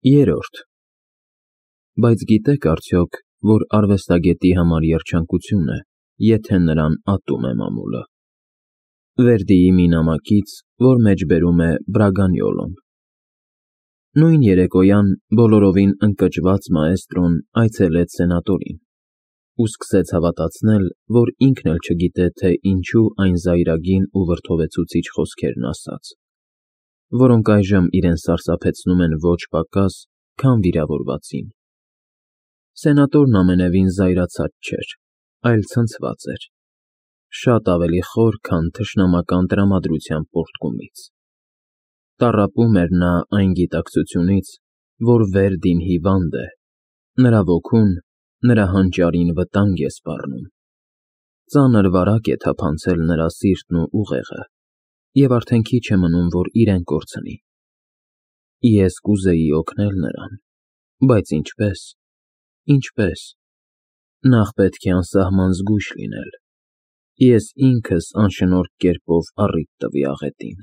Երրորդ։ Բայց գիտեք արդյոք, որ արվեստագետի համար երջանկություն է, եթե նրան ատում է մամուլը։ Վերդիի մի նամակից, որ մեջբերում է Բրագանյոլոն։ Նույն երեկոյան բոլորովին ընկճված մաեստրոն այցելեց սենատորին ու սկսեց հավատացնել, որ ինքն էլ չգիտե, թե ինչու այն զայրագին ու վրդովեցուցիչ խոսքերն ասաց, որոնք այժմ իրեն սարսափեցնում են ոչ պակաս, քան վիրավորվածին։ Սենատորն ամենևին զայրացած չէր, այլ ցնցված էր, շատ ավելի խոր, քան թշնամական տրամադրության պոռթկումից։ Տառապում էր նա այն գիտակցությունից, որ Վերդին հիվանդ է, նրա ոգուն, նրա հանճարին վտանգ է սպառնում։ Ծանր վարակ է թափանցել նրա սիրտն ու ուղեղը, և արդեն քիչ է մնում, որ իրեն կորցնի։ Ես կուզեի օգնել նրան, բայց ինչպե՞ս, ինչպե՞ս։ Նախ պետք է անսահման զգույշ լինել։ Ես ինքս անշնորհք կերպով առիթ տվի աղետին,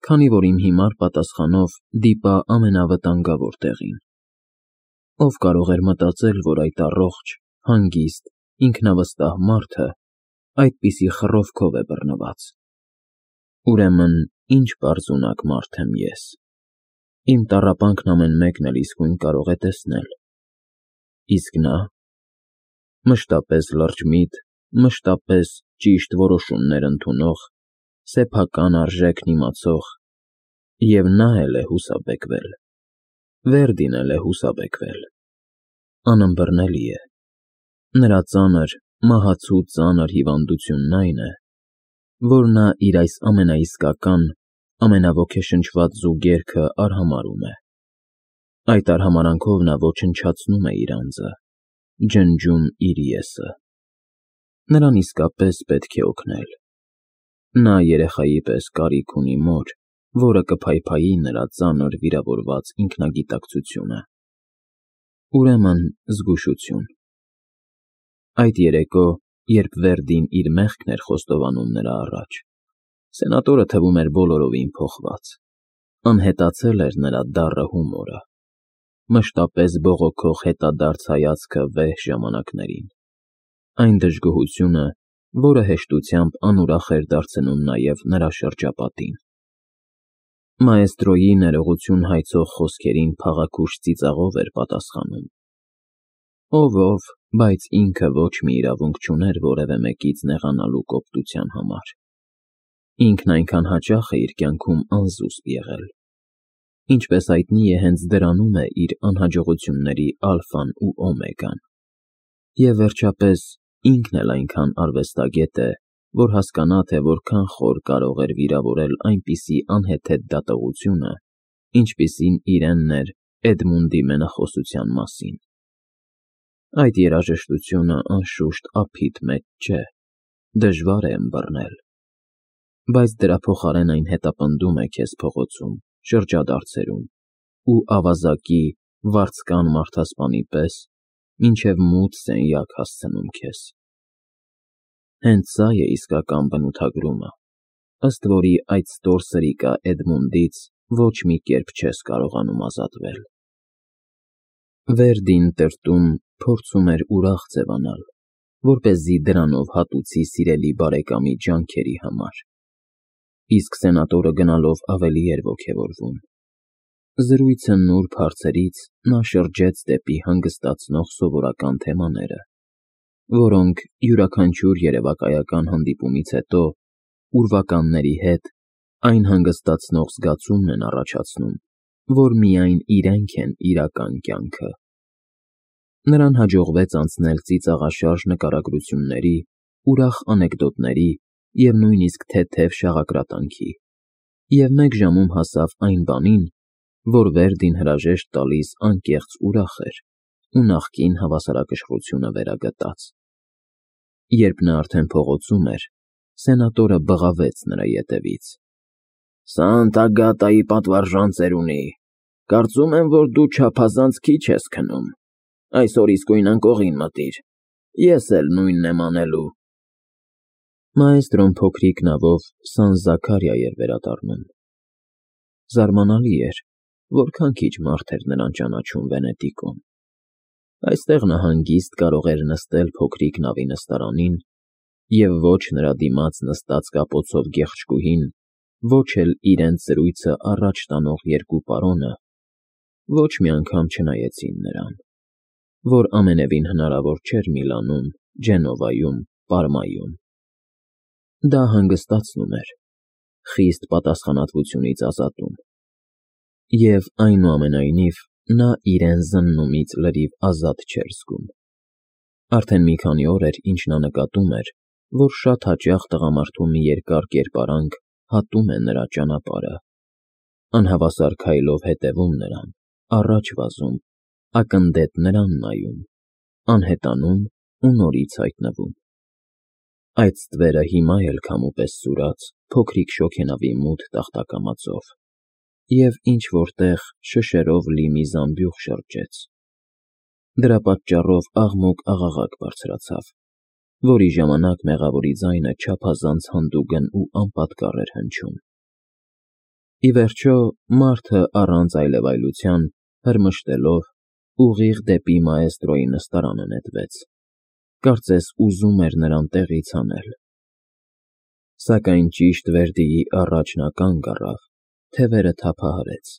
քանի որ իմ հիմար պատասխանով դիպա ամենավտանգավոր տեղին։ Ով կարող էր մտածել, որ այդ առողջ, հանգիստ, ինքնավստահ մարդը այդպիսի խռովքով է բռնված։ Ուրեմն ինչ պարզունակ մարդ եմ ես։ Իմ տառապանքն ամեն մեկն էլ իսկույն կարող է տեսնել։ Իսկ նա… մշտապես լրջմիտ, մշտապես ճիշտ որոշումներ ընդունող, սեփական արժեքն իմացող, և նա էլ է հուսաբեկվել, Վերդին էլ է հուսաբեկվել։ Անըմբռնելի է։ Նրա ծանր, մահացու ծանր հիվանդությունն այն է, որ նա իր այս ամենաիսկական, ամենաոգեշնչված զուգերքը արհամարհում է։ Այդ արհամարհանքով նա ոչնչացնում է իր անձը, ջնջում իր եսը։ Նրան իսկապես պետք է օգնել։ Նա երեխայի պես կարիք ունի մոր, որը կփայփայի նրա ծանր վիրավորված ինքնագիտակցությունը։ Ուրեմն զգուշություն։ Այդ երեկո, երբ Վերդին իր մեղքն էր խոստովանում նրա առաջ, սենատորը թվում էր բոլորովին փոխված։ Անհետացել էր նրա դառը հումորը, մշտապես բողոքող հետադարձ հայացքը վեհ ժամանակներին, այն դժգոհությունը, որը հեշտությամբ անուրախ էր դարձնում նաև նրա շրջապատին։ Մաեստրոյի ներողություն հայցող խոսքերին փաղաքուշ ծիծաղով էր պատասխանում։ Ով, բայց ինքը ոչ մի իրավունք չուներ որևէ մեկից նեղանալու կոպտության համար։ Ինքն այնքան հաճախ է իր կյանքում անզուսպ եղել։ Ինչպես հայտնի է, հենց դրանում է իր անհաջողությունների ալֆան ու օմեգան։ Եվ վերջապես, ինքն էլ այնքան արվեստագետ է, որ հասկանա, թե որքան խոր կարող էր վիրավորել այնպիսի անհեթեթ դատողությունը, ինչպիսին իրենն էր Էդմունդի մենախոսության մասին։ Այդ երաժշտությունը, անշուշտ, ափիտ մեջ չէ, դժվար է ըմբռնել, բայց դրա փոխարեն այն հետապնդում է քեզ փողոցում, շրջադարձերում ու ավազակի, վարձկան մարդասպանի պես մինչև մութ սենյակ հասցնում քեզ։ Հենց սա է իսկական բնութագրումը, ըստ որի այդ ստոր սրիկա Էդմունդից ոչ մի կերպ չես կարողանում ազատվել։ Վերդին տրտում փորձում էր ուրախ ձևանալ, որպեսզի դրանով հատուցի սիրելի բարեկամի ջանքերի համար, իսկ սենատորը գնալով ավելի էր ոգևորվում։ Զրույցը նուրբ հարցերից նա շրջեց դեպի հանգստացնող սովորական թեմաները, որոնք յուրաքանչյուր երևակայական հանդիպումից հետո ուրվականների հետ այն հանգստացնող զգացումն են առաջացնում, որ միայն իրենք են իրական կյանքը։ Նրան հաջողվեց անցնել ծիծաղաշարժ նկարագրությունների, ուրախ անեկդոտների և նույնիսկ թեթև շաղակրատանքի, և մեկ ժամում հասավ այն բանին, որ Վերդին հրաժեշտ տալիս անկեղծ ուրախ էր ու նախկին հավասարակշռությունը վերագտած։ Երբ նա արդեն փողոցում էր, սենատորը բղավեց նրա ետևից. «Սանտա Գատայի պատվարժան ծերունի, կարծում եմ, որ դու չափազանց քիչ ես քնում։ Այսօր իսկույն անկողին մտիր, ես էլ նույնն եմ անելու»։ Մաեստրոն փոքրիկ նավով Սան Զաքարիա էր վերադառնում։ Զարմանալի էր, որքան քիչ մարդ էր նրան ճանաչում Վենետիկում։ Այստեղ նա հանգիստ կարող էր նստել փոքրիկ նավի նստարանին, և ոչ նրա դիմաց նստած կապոցով գեղեցկուհին, ոչ էլ իրենց զրույցը առաջ տանող երկու պարոնը ոչ մի անգամ չնայեցին նրան, որ ամենևին հնարավոր չէր Միլանում, Ջենովայում, Պարմայում։ Դա հանգստացնում էր, խիստ պատասխանատվությունից ազատում, և այնուամենայնիվ նա իրեն զննումից լրիվ ազատ չէր զգում։ Արդեն մի քանի օր էր, ինչ նա նկատում էր, որ շատ հաճախ տղամարդու մի երկար կերպարանք հատում է նրա ճանապարհը, անհավասար քայլով հետևում նրան, առաջ վազում, ակնդետ նրան նայում, անհետանում ու նորից հայտնվում։ Այդ ստվերը հիմա էլ քամու պես սուրաց փոքրիկ շոգենավի մութ տախտակամածով, և ինչ֊որ տեղ շշերով լի մի զամբյուղ շրջեց։ Դրա պատճառով աղմուկ-աղաղակ բարձրացավ, որի ժամանակ մեղավորի ձայնը չափազանց հանդուգն ու անպատկառ էր հնչում։ Ի վերջո, մարդը առանց այլևայլության, հրմշտելով, ուղիղ դեպի մաեստրոյի նստարանը նետվեց, կարծես ուզում էր նրան տեղից հանել։ Սակայն ճիշտ Վերդիի առաջ նա կանգ առավ, թևերը թափահարեց,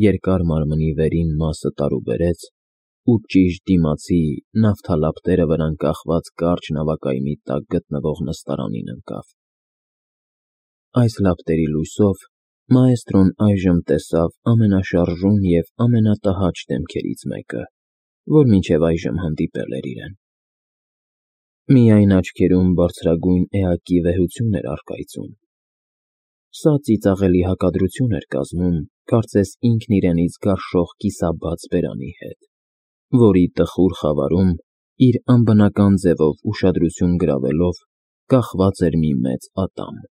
երկար մարմնի վերին մասը տարուբերեց ու ճիշտ դիմացի նավթալապտերը վրան կախված կարճ նավակայմի տակ գտնվող նստարանին ընկավ։ Այս լապտերի լույսով մաեստրոն այժմ տեսավ ամենաշարժուն և ամենատհաճ դեմքերից մեկը, որ մինչև այժմ հանդիպել էր իրեն։ Միայն աչքերում բարձրագույն էակի վեհություն էր առկայծում։ Սա ծիծաղելի հակադրություն էր կազմում, կարծես ինքն իրենից գարշող կիսաբաց բերանի հետ, որի տխուր խավարում, իր անբնական ձևով ուշադրություն գրավելով, կախված էր մի մեծ ատամ։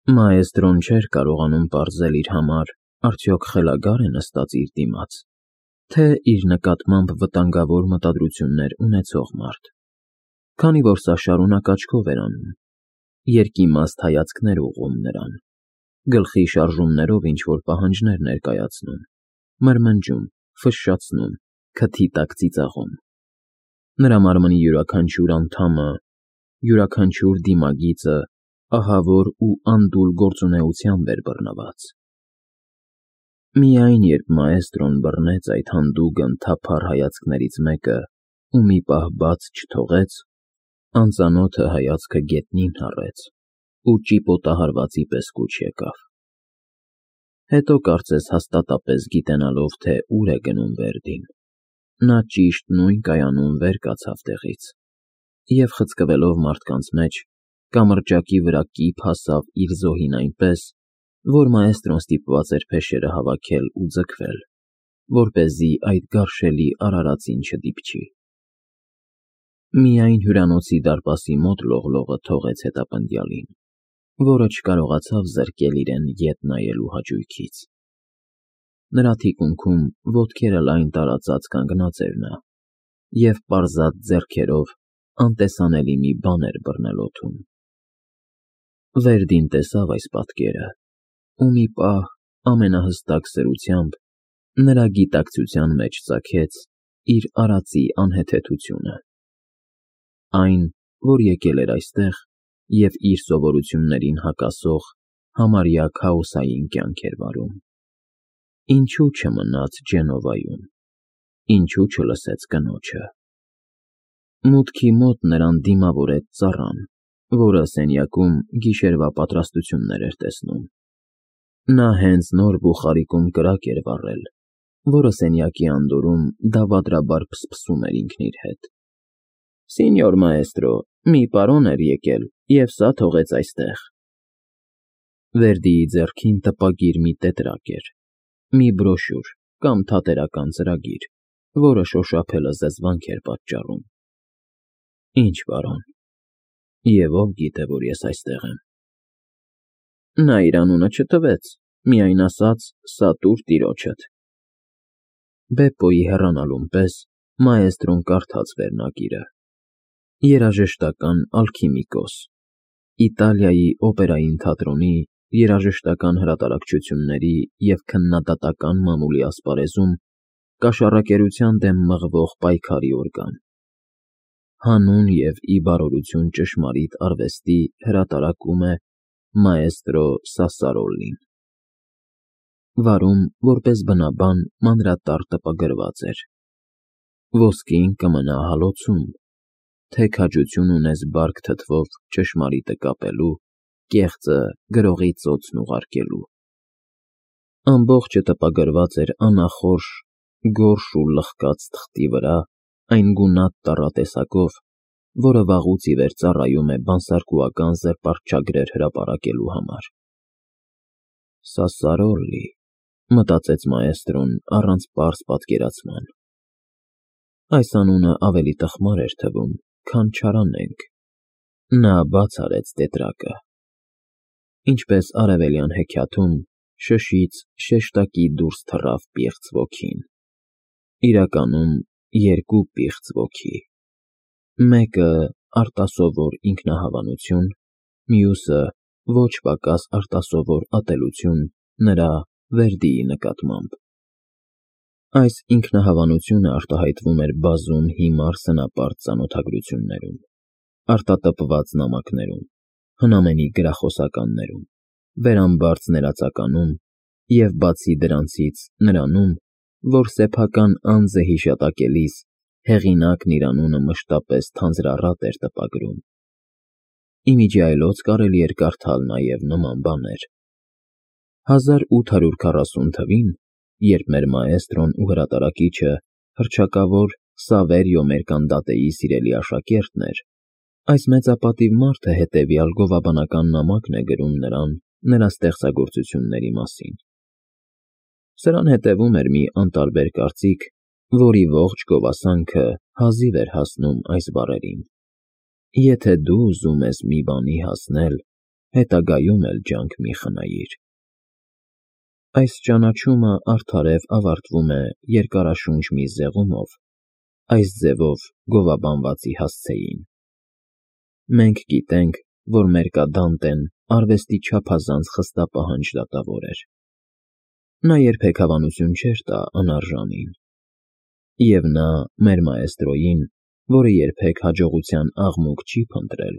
Մաեստրոն չէր կարողանում պարզել իր համար, արդյոք խելագա՞ր է նստած իր դիմաց, թե իր նկատմամբ վտանգավոր մտադրություններ ունեցող մարդ, քանի որ սա շարունակ աչքով էր անում, երկիմաստ հայացքներ ուղղում նրան, գլխի շարժումներով ինչ-որ պահանջներ ներկայացնում, մրմնջում, ֆշշացնում, քթի տակ ծիծաղում։ Նրա մարմնի յուրաքանչյուր անդամը, յուրաքանչյուր դիմագիծը ահավոր ու անդուլ գործունեությամբ էր բռնված։ Միայն երբ մաեստրոն բռնեց այդ հանդուգն թափառ հայացքներից մեկը ու մի պահ բաց չթողեց, անծանոթը հայացքը գետնին հառեց ու ճիպոտահարվածի պես կուչ եկավ։ Հետո կարծես հաստատապես գիտենալով, թե ուր է գնում Վերդին, նա ճիշտ նույն կայանում վեր կացավ տեղից և, խցկվելով մարդկանց մեջ, կամրջակի վրա կիփ հասավ իր զոհին այնպես, որ մաեստրոն ստիպված էր փեշերը հավաքել ու ձգվել, որպեսզի այդ գարշելի արարածին չդիպչի։ Միայն հյուրանոցի դարպասի մոտ լողլողը թողեց հետապնդյալին, որը չկարողացավ զրկել իրեն ետ նայելու հաճույքից։ Նրա թիկունքում ոտքերը լայն տարածած կանգնած էր նա և պարզած ձեռքերով անտեսանելի մի բան էր բռնել օդում։ Վերդին տեսավ այս պատկերը ու մի պահ ամենահստակ սրությամբ նրա գիտակցության մեջ ծագեց իր արածի անհեթեթությունը։ Այն, որ եկել էր այստեղ և իր սովորություններին հակասող համարյա քաոսային կյանք էր վարում։ Ինչու չմնաց Ջենովայում, ինչու չլսեց կնոջը։ Մուտքի մոտ նրան դիմավորեց ծառան, որը սենյակում գիշերվա պատրաստություններ էր տեսնում։ Նա հենց նոր բուխարիկում կրակ էր վառել, որը սենյակի անդորում դավադրաբար փսփսում էր ինքն իր հետ։ Սինյոր մաեստրո, մի պարոն էր եկել և սա թողեց այստեղ։ Վերդիի ձեռքին տպագիր մի տետրակ էր, մի բրոշյուր կամ թատերական ծրագիր, որը շոշափելը զզվանք էր պատճառում։ Ինչ պարոն, և ով գիտե, որ ես այստեղ եմ։ Նա իր անունը չտվեց, միայն ասաց՝ սա տուր տիրոջդ։ Բեպպոյի հեռանալուն պես մաեստրոն կարդաց վերնագիրը. երաժշտական ալքիմիկոս, Իտալիայի օպերային թատրոնի երաժշտական հրատարակչությունների և քննադատական մամուլի ասպարեզում կաշառակերության դեմ մղվող պայքարի օրգան, հանուն և ի բարօրություն ճշմարիտ արվեստի հրատարակում է մաեստրո Սասսարոլին։ Վարում որպես բնաբան մանրատառ տպագրված էր. ոսկին կմնա հալոցում, թե քաջություն ունես բարք թթվով ճշմարիտը կապելու, կեղծը գրողի ծոցն ուղարկելու։ Ամբողջը տպագրված էր անախորժ, գորշ ու լխկած թղթի վրա այն գունատ տառատեսակով, որը վաղուց ի վեր ծառայում է բանսարկուական զրպարտչագրեր հրապարակելու համար։ Սասսարոլի, մտածեց մաեստրոն առանց պարզ պատկերացման։ Այս անունը ավելի տխմար էր թվում, քան չարանենգ։ Նա բաց արեց տետրակը։ Ինչպես արևելյան հեքիաթում, շշից շեշտակի դուրս թռավ պիղծ ոգին։ Իրականում երկու պիղծ ոգի։ Մեկը արտասովոր ինքնահավանություն, մյուսը ոչ պակաս արտասովոր ատելություն նրա Վերդիի նկատմամբ։ Այս ինքնահավանությունը արտահայտվում էր բազում հիմար սնապարտ ծանոթագրություններում, արտատպված նամակներում, հնամենի գրախոսականներում, վերամբարձ ներածականում և, բացի դրանցից, նրանում, որ սեփական անձը հիշատակելիս հեղինակն իր անունը մշտապես թանձրառատ էր տպագրում։ Ի միջի այլոց կարելի էր կարդալ նաև նման բաներ. 1840 թվին, երբ մեր մաեստրոն ու հրատարակիչը հռչակավոր Սավերիո Մերկանդատեի սիրելի աշակերտն էր, այս մեծապատիվ մարդը հետևյալ գովաբանական նամակն է գրում նրան նրա ստեղծագործությունների մասին։ Սրան հետևում էր մի անտարբեր կարծիք, որի ողջ գովասանքը հազիվ էր հասնում այս բառերին. եթե դու ուզում ես մի բանի հասնել, հետագայում էլ ջանք մի խնայիր։ Այս ճանաչումը արդարև ավարտվում է երկարաշունչ մի զեղումով, այս ձևով գովաբանվածի հասցեին. մենք գիտենք, որ Մերկադանտեն արվեստի չափազանց խստապահանջ դատավոր էր։ Նա երբեք հավանություն չէր տա անարժանին։ Եվ նա մեր մաեստրոյին, որը երբեք հաջողության աղմուկ չի փնտրել,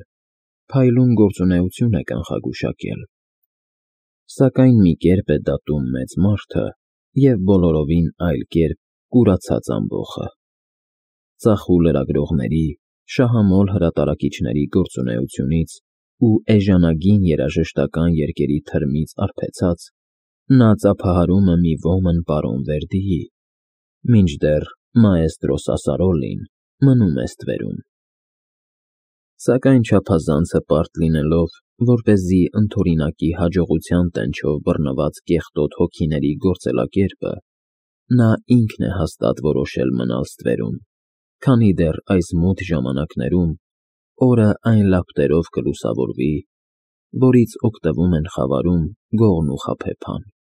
փայլուն գործունեություն է կանխագուշակել։ Սակայն մի կերպ է դատում մեծ մարդը և բոլորովին այլ կերպ կուրացած ամբոխը։ Ծախու լրագրողների, շահամոլ հրատարակիչների գործունեությունից ու էժանագին երաժշտական երգերի թրմից արբեցած, նա ծափահարում է մի ոմն պարոն Վերդիի, մինչդեռ մաեստրո Սասսարոլին մնում է ստվերում։ Սակայն չափազանց հպարտ լինելով, որպեսզի ընդօրինակի հաջողության տենչով բռնված կեղտոտ հոգիների գործելակերպը, նա ինքն է հաստատ որոշել մնալ ստվերում, քանի դեռ այս մութ ժամանակներում օրը այն լապտերով կլուսավորվի, որից օգտվում են խավարում գողն ու խաբեբան։